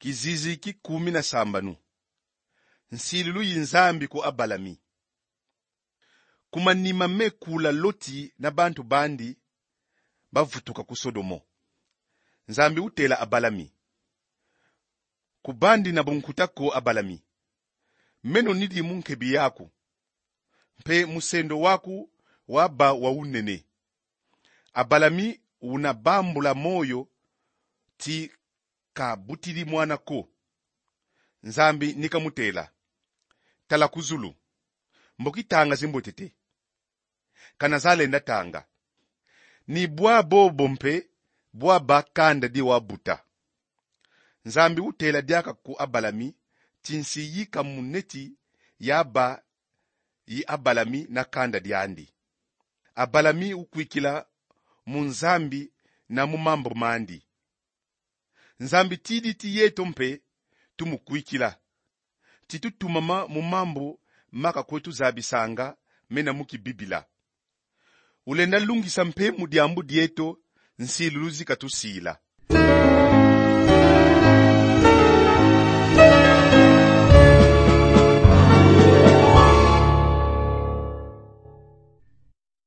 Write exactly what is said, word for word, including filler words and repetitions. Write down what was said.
Kizizi ki kumi na sambanu. Nsilulu yi Nzambi ku Abalami. Ku manima me kula Loti na bantu bandi bavutuka ku Sodomo, Nzambi utela Abalami: Kubandi na bunkuta ko, Abalami. Meno nidi mu nkebi yaku, mpe musendo waku waba wa unene. Abalami una bambula moyo ti kabutidi mwana ko. Nzambi ni kamutela: Tala ku zulu, mboki tanga zimbwetete. Kana zalenda tanga. Ni bwa bobo mpe bwaba kanda di wabuta. Nzambi utela diaka ku Abalami ti nsi yi kamuneti yaba yi Abalami na kanda diandi. Abalami ukwikila mu Nzambi na mu mambu mandi. Nzambi tidi ti yeto mpe tumukwikila, ti tutumama mu mambu ma kakwetu zabisanga mena mu Kibibila. Ulenda lungisa mpe mu diambu dieto nsilulu zi katusila.